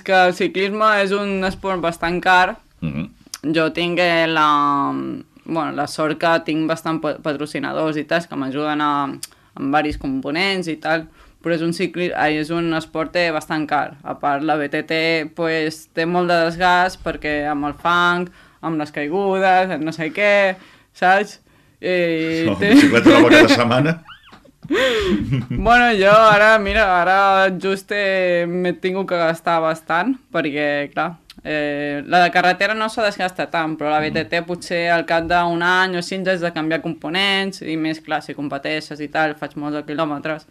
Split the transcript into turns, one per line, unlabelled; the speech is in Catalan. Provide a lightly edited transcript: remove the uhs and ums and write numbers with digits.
que el ciclisme és un esport bastant car. Jo tinc la sort que tinc bastant patrocinadors i tal, que m'ajuden amb diversos components i tal, però és un esport bastant car. A part, la BTT pues, té molt de desgast perquè amb el fang, amb les caigudes, no sé què, saps?
Bicicleta nova cada setmana?
Bueno, jo ara just m'he tingut que gastar bastant, perquè, clar, la de carretera no s'ha desgastat tant, però la BTT potser al cap d'un any o 5 anys has de canviar components, i més, clar, si competeixes i tal, faig molts de quilòmetres.